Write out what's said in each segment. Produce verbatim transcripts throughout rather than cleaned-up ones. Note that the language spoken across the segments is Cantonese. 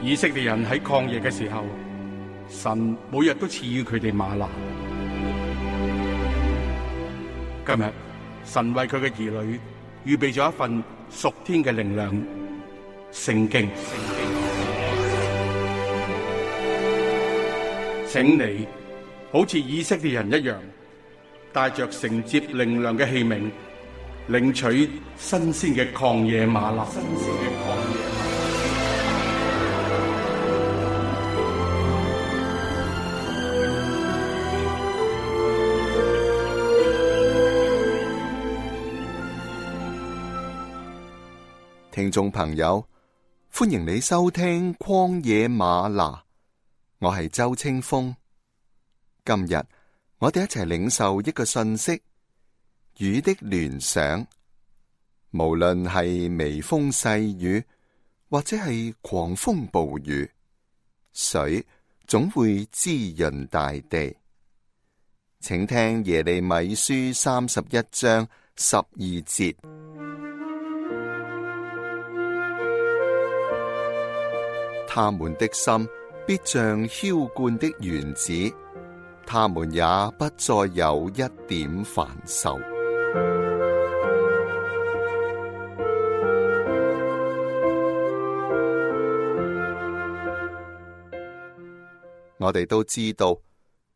以色列人喺曠野嘅時候，神每日都賜予佢哋嗎哪。今日神為佢嘅兒女預備咗一份屬天嘅靈糧——聖經。請你好似以色列人一樣，帶着承接靈糧嘅器皿，領取新鮮嘅曠野嗎哪。新鮮嘅曠野嗎哪。聽眾朋友，歡迎你收聽曠野嗎哪，我係周清風。今日我哋一齊領受一個信息：雨的聯想。無論係微風細雨，或者係狂風暴雨，水總會滋潤大地。請聽耶利米書三十一章十二節。他們的心必像澆灌的園子，他們也不再有一點煩愁。我哋都知道，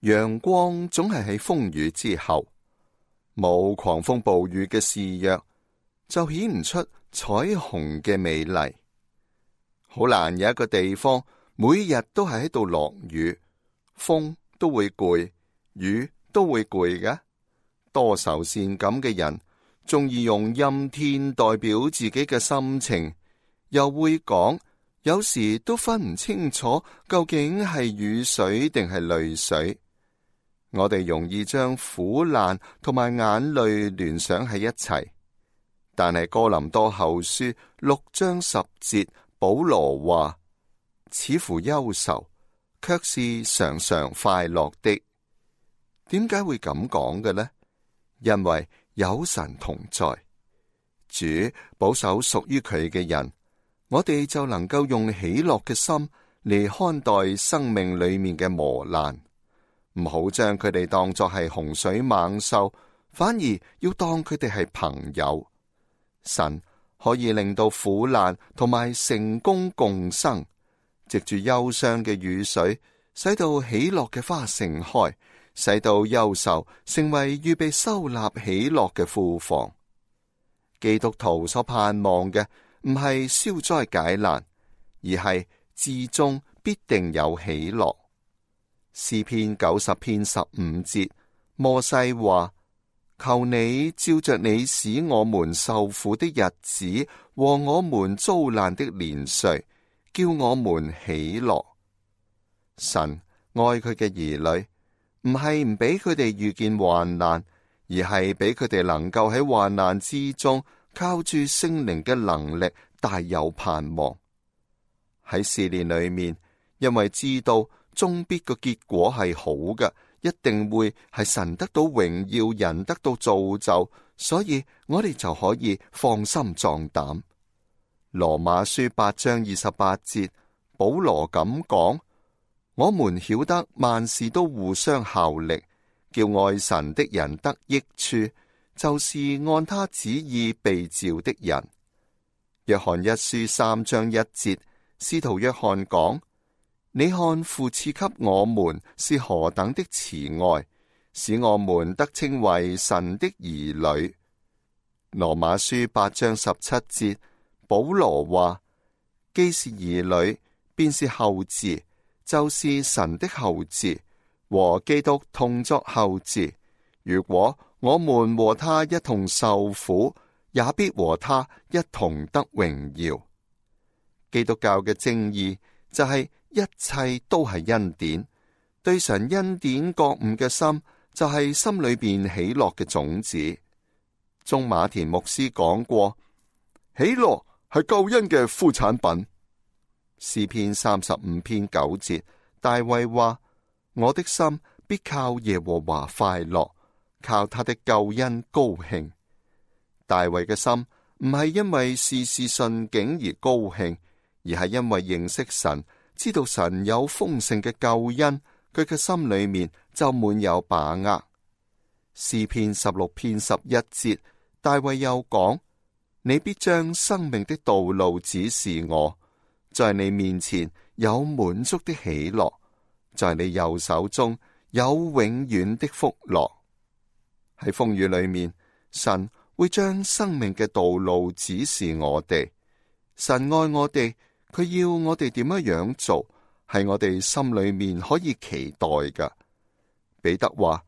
陽光總係喺風雨之後，冇狂風暴雨嘅肆虐，就顯唔出彩虹嘅美麗。好難有一個地方每日都係喺度落雨，風都會攰，雨都會攰嘅。多愁善感嘅人，鍾意用陰天代表自己嘅心情，又會講，有時都分唔清楚究竟係雨水定係淚水。我哋容易將苦難同埋眼淚聯想喺一齊，但係哥林多後書六章十節，保羅話：似乎憂愁，卻是常常快樂的。點解會咁講嘅呢？因為有神同在，主保守屬於佢嘅人，我哋就能夠用喜樂嘅心嚟看待生命裏面嘅磨難，唔好將佢哋當作係洪水猛獸，反而要當佢哋係朋友。神可以令到苦難同埋成功共生，藉住憂傷嘅雨水，使到喜樂嘅花盛開，使到憂愁成為預備收納喜樂嘅庫房。基督徒所盼望嘅唔係消災解難，而係至終必定有喜樂。詩篇九十篇十五節，摩西話：求你照着你使我們受苦的日子和我們遭難的年歲，叫我們喜樂。神愛佢嘅兒女，唔係唔俾佢哋遇見患難，而係俾佢哋能夠喺患難之中靠住聖靈嘅能力大有盼望。喺試煉裏面，因為知道終必個結果係好嘅，一定會係神得到榮耀，人得到造就，所以我哋就可以放心壯膽。羅馬書八章二十八節，保羅咁講：我們曉得萬事都互相效力，叫愛神的人得益處，就是按他旨意被召的人。約翰一書三章一節，使徒約翰講：你看父賜給我們是何等的慈愛，使我們得稱為神的兒女。羅馬書八章十七節，保羅話：既是兒女，便是後嗣，就是神的後嗣，和基督同作後嗣。如果我們和他一同受苦，也必和他一同得榮耀。基督教嘅正義就係、是一切都係恩典，對神恩典覺悟嘅心就係心裏邊喜樂嘅種子。中馬田牧師講過，喜樂係救恩嘅副產品。詩篇三十五篇九節，大衛話：我的心必靠耶和華快樂，靠他的救恩高興。大衛嘅心唔係因為事事順境而高興，而係因為認識神，知道神有豐盛嘅救恩，佢嘅心裏面就滿有把握。詩篇十六篇十一節，大衛又講：你必將生命的道路指示我，在你面前有滿足的喜樂，在你右手中有永遠的福樂。喺風雨裏面，神會將生命嘅道路指示我哋。神愛我哋，佢要我哋點樣樣做，係我哋心裏面可以期待㗎。彼得話：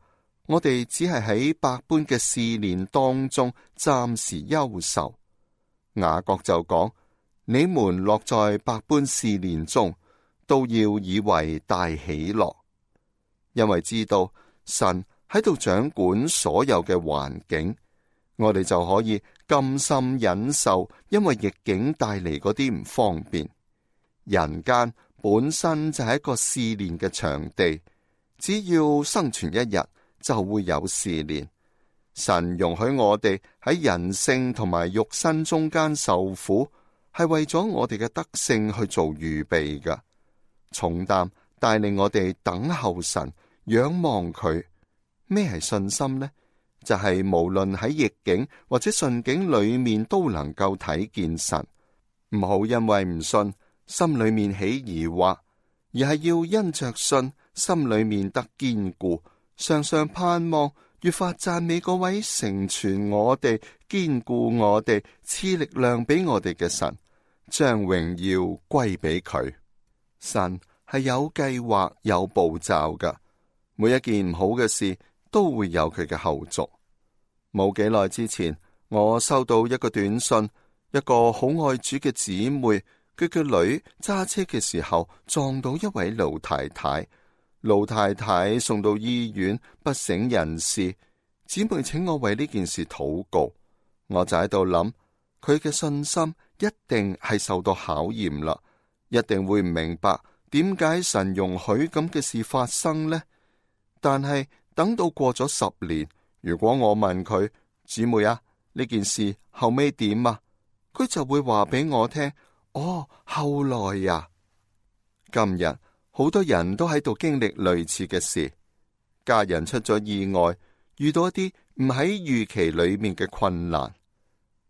我哋只係喺百般嘅試煉當中暫時憂愁。雅各就講：你們落在百般試煉中，都要以為大喜樂，因為知道神喺度掌管所有嘅環境，我哋就可以甘心忍受，因為逆境帶嚟嗰啲唔方便。人間本身就係一個試煉嘅場地，只要生存一日，就會有試煉。神容許我哋喺人性同埋肉身中間受苦，係為咗我哋嘅德性去做預備㗎。重擔帶領我哋等候神，仰望佢。咩係信心呢？就係、是、無論喺逆境或者順境裏面都能夠睇見神。唔好因為唔信，心裏面起疑惑，而係要因着信，心裏面得堅固，常常盼望，越發讚美嗰位成全我哋、堅固我哋、賜力量俾我哋嘅神，將榮耀歸俾佢。神係有計劃、有步驟噶，每一件唔好嘅事都會有佢嘅後續。冇幾耐之前，我收到一個短信，一個好愛主嘅姊妹，佢嘅女揸車嘅時候撞到一位老太太。老太太送到醫院不省人事，姊妹請我為呢件事禱告。我就喺度諗，佢嘅信心一定係受到考驗啦，一定會唔明白點解神容許咁嘅事發生呢？但係等到過咗十年，如果我問佢，姊妹啊，呢件事後尾點啊？佢就會話俾我聽，哦，後來呀。今日好多人都喺度經歷類似嘅事，家人出咗意外，遇到一啲唔喺預期裏面嘅困難。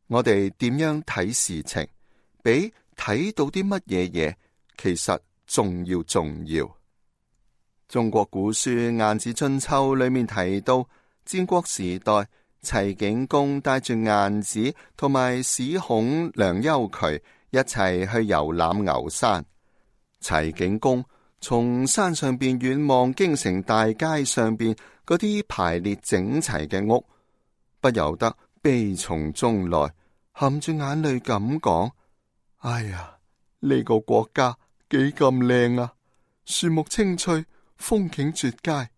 我哋點樣睇事情，比睇到啲乜嘢嘢，其實重要重要。中國古書《晏子春秋》裏面提到，戰國時代，齊景公帶住晏子同埋史孔、梁丘渠一齊去遊覽牛山。齊景公從山上邊遠望京城大街上邊嗰啲排列整齊嘅屋，不由得悲從中來，含住眼淚咁講：哎呀，呢個國家幾咁靚啊，樹木青翠，風景絕佳，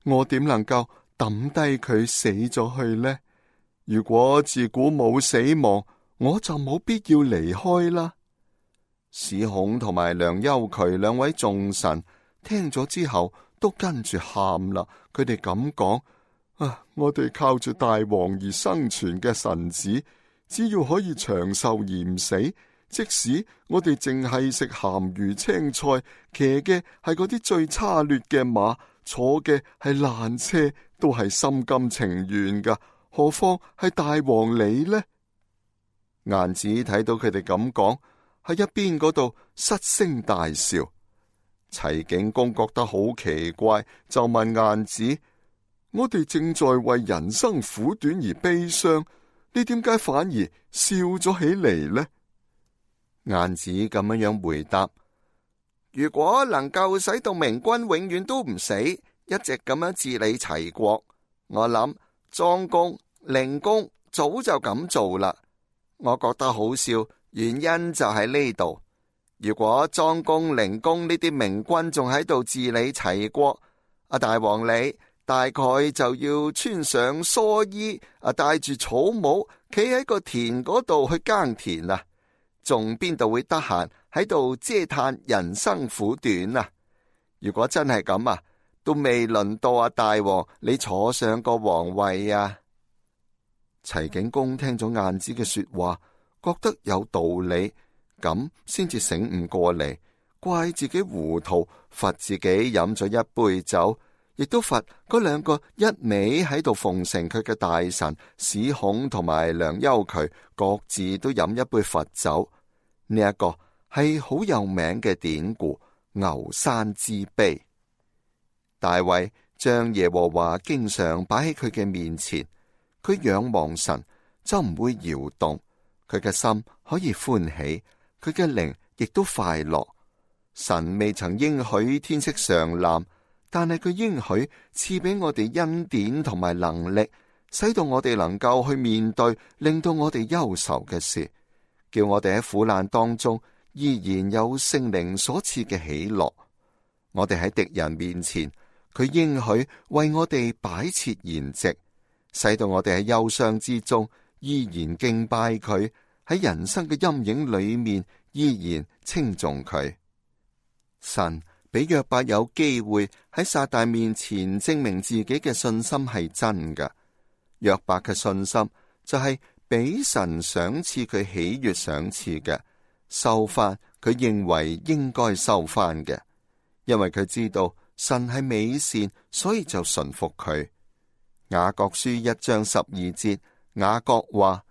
我點能夠抌低佢死咗去呢？如果自古冇死亡，我就冇必要離開啦。史孔同埋梁丘渠兩位眾臣聽咗之後都跟住喊啦，佢哋咁講：啊，我哋靠住大王而生存嘅臣子，只要可以長壽而唔死，即使我哋淨係食鹹魚青菜，騎嘅係嗰啲最差劣嘅馬，坐嘅係爛車，都係心甘情願噶，何況係大王你呢？晏子睇到佢哋咁講，喺一邊嗰度失聲大笑。齊景公覺得好奇怪，就問晏子：我哋正在為人生苦短而悲傷，你點解反而笑咗起嚟呢？晏子咁樣樣回答：如果能夠使到明君永遠都唔死，一直咁樣治理齊國，我諗莊公、靈公早就咁做啦。我覺得好笑，原因就喺呢度。如果莊公、靈公呢啲明君仲喺度治理齊國，阿大王你大概就要穿上蓑衣，啊戴住草帽，企喺個田嗰度去耕田啊，仲邊度會得閒喺度嗟嘆人生苦短啊？如果真係咁啊，都未輪到阿大王你坐上個皇位啊！齊景公聽咗晏子嘅說話，覺得有道理，咁先至醒悟過嚟，怪自己糊塗，罰自己飲咗一杯酒，亦都罰嗰兩個一味喺度奉承佢嘅大臣史孔同埋梁丘渠，各自都飲一杯罰酒。呢、這、一個係好有名嘅典故，牛山之悲。大衛將耶和華經常擺喺佢嘅面前，佢仰望神就唔會搖動，佢嘅心可以歡喜，佢嘅靈亦都快樂。神未曾應許天色常藍，但係佢應許賜俾我哋恩典同埋能力，使到我哋能夠去面對令到我哋憂愁嘅事，叫我哋喺苦難當中依然有聖靈所賜嘅喜樂。我哋喺敵人面前，佢應許為我哋擺設筵席，使到我哋喺憂傷之中依然敬拜佢，喺人生嘅陰影裏面依然稱頌佢。神俾約伯有機會喺撒旦面前證明自己嘅信心係真㗎。約伯嘅信心就係俾神賞賜佢喜悅賞賜嘅，收翻佢認為應該收翻嘅，因為佢知道神係美善，所以就順服佢。雅各書一章十二節，雅各話：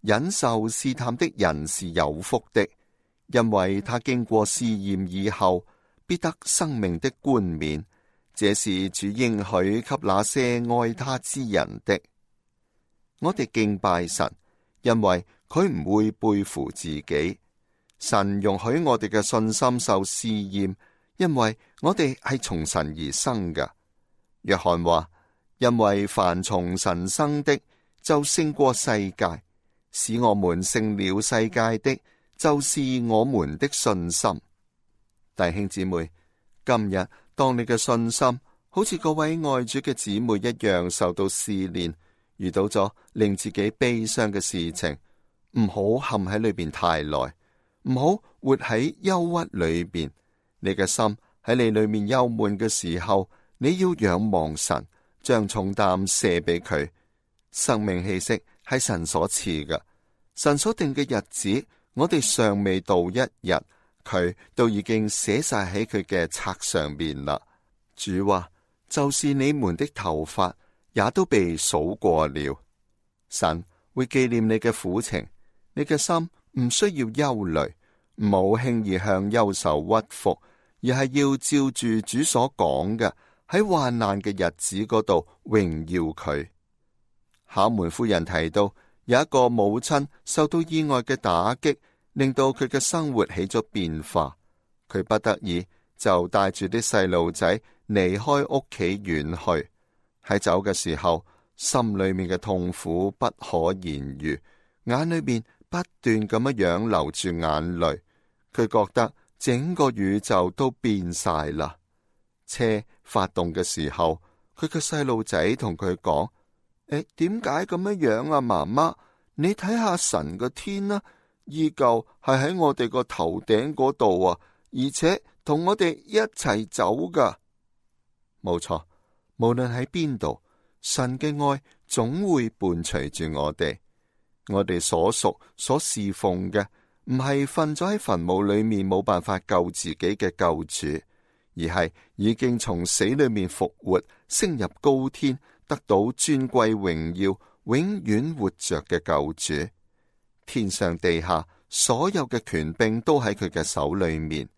忍受試探的人是有福的，因為他經過試驗以後，必得生命的冠冕。這是主應許給那些愛他之人的。我哋敬拜神，因為佢唔會背負自己。神容許我哋嘅信心受試驗，因為我哋係從神而生嘅。約翰話：因為凡從神生的，就勝過世界，使我們勝了世界的，就是我們的信心。弟兄姊妹，今日當你嘅信心好似嗰位愛主嘅姊妹一樣受到試煉，遇到咗令自己悲傷嘅事情，唔好陷喺裏邊太耐，唔好活喺憂鬱裏邊。你嘅心喺你裏面憂悶嘅時候，你要仰望神，將重擔卸俾佢。生命氣息係神所賜嘅，神所定嘅日子，我哋尚未到一日，佢都已經寫晒喺佢嘅冊上面啦。主話：就是你們的頭髮也都被數過了。神會紀念你嘅苦情，你嘅心唔需要憂慮，唔好輕易向憂愁屈服，而係要照住主所講嘅，喺患難嘅日子嗰度榮耀佢。考門夫人提到，有一個母親受到意外嘅打擊，令到佢嘅生活起咗變化，佢不得已就帶住啲細路仔離開屋企遠去。喺走嘅時候，心裏面嘅痛苦不可言喻，眼裏面不斷咁樣樣流住眼淚。佢覺得整個宇宙都變晒啦。車發動嘅時候，佢嘅細路仔同佢講：誒，點解咁樣樣啊？媽媽，你睇下神個天啦，依舊係喺我哋個頭頂嗰度啊，而且同我哋一齊走噶。冇錯，無論喺邊度，神嘅愛總會伴隨住我哋。我哋所屬所侍奉嘅，唔係瞓咗喺墳墓裏面冇辦法救自己嘅救主，而係已經從死裏面復活，升入高天，得到尊貴榮耀，永遠活着嘅救主。天上地下所有嘅權柄都喺佢嘅手裏面，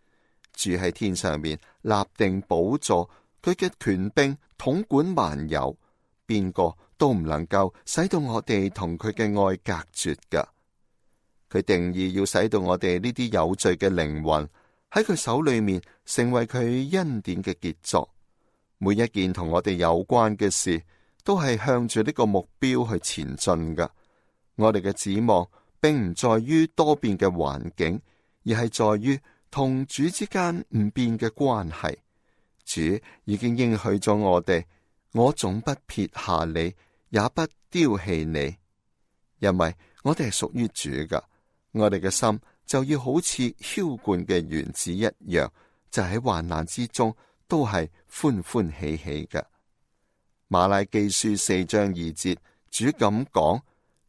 住喺天上面立定寶座，佢嘅權柄統管萬有，邊個都唔能夠使到我哋同佢嘅愛隔絕噶。佢定義要使到我哋呢啲有罪嘅靈魂喺佢手裏面成為佢恩典嘅傑作。每一件同我哋有關嘅事都係向住呢個目標去前進噶。我哋嘅指望並唔在於多變嘅環境，而係在於同主之間唔變嘅關係。主已經應許咗我哋，我總不撇下你，也不丟棄你，因為我哋係屬於主噶。我哋嘅心就要好似澆灌嘅園子一樣，就喺患難之中都係歡歡喜喜嘅。馬拉基書四章二節，主咁講：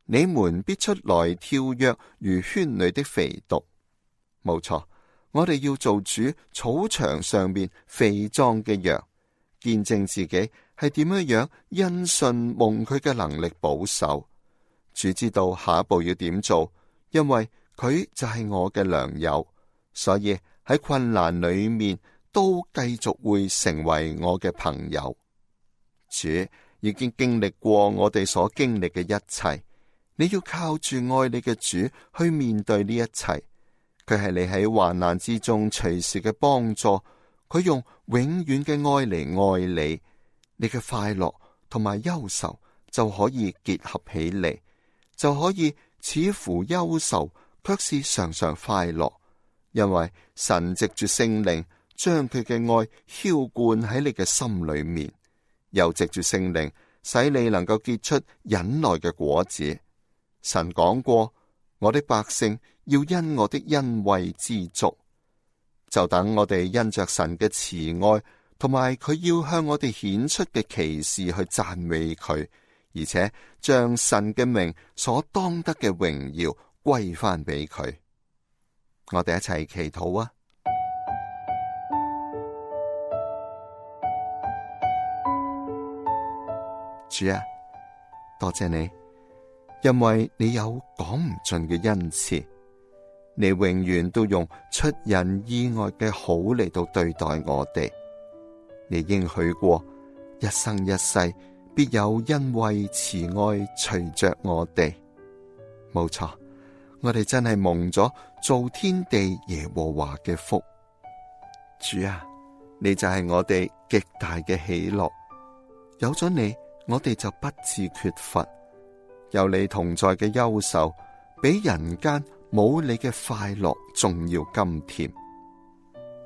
你們必出來跳躍如圈裏的肥犢。冇錯，我哋要做主草場上面肥壯嘅羊，見證自己係點樣樣因信蒙佢嘅能力保守。主知道下一步要點做，因為佢就係我嘅良友，所以喺困難裏面都繼續會成為我嘅朋友。主已經經歷過我哋所經歷嘅一切，你要靠住愛你嘅主去面對呢一切。佢係你喺患難之中隨時嘅幫助，佢用永遠嘅愛嚟愛你，你嘅快樂同埋憂愁就可以結合起嚟，就可以似乎憂愁，卻是常常快樂，因為神藉住聖靈將佢嘅愛澆灌喺你嘅心裏面，又藉住聖靈使你能夠結出忍耐嘅果子。神講過，我的百姓要因我的恩惠知足，就等我哋因着神嘅慈愛同埋佢要向我哋顯出嘅奇事去讚美佢，而且將神嘅名所當得嘅榮耀歸翻俾佢。我哋一齊祈禱啊！主啊，多謝你，因為你有講唔盡嘅恩賜，你永遠都用出人意外嘅好嚟到對待我哋。你應許過，一生一世必有恩惠慈愛隨着我哋。冇錯，我哋真係蒙咗造天地耶和華嘅福。主啊，你就係我哋極大嘅喜樂，有咗你，我哋就不致缺乏。有你同在嘅憂愁，比人間冇你嘅快樂仲要甘甜。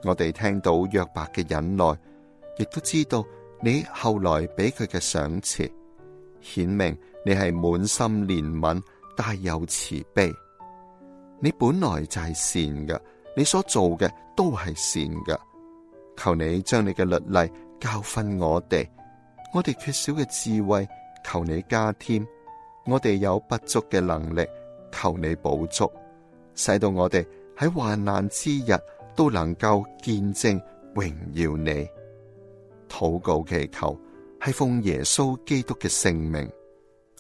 我哋聽到約伯嘅忍耐，亦都知道你後來俾佢嘅賞賜，顯明你係滿心憐憫，大有慈悲。你本來就係善嘅，你所做嘅都係善嘅。求你將你嘅律例教訓我哋，我哋缺少嘅智慧，求你加添；我哋有不足嘅能力，求你補足，使到我哋喺患難之日都能夠見證榮耀你。禱告祈求係奉耶穌基督嘅聖名，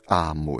阿門。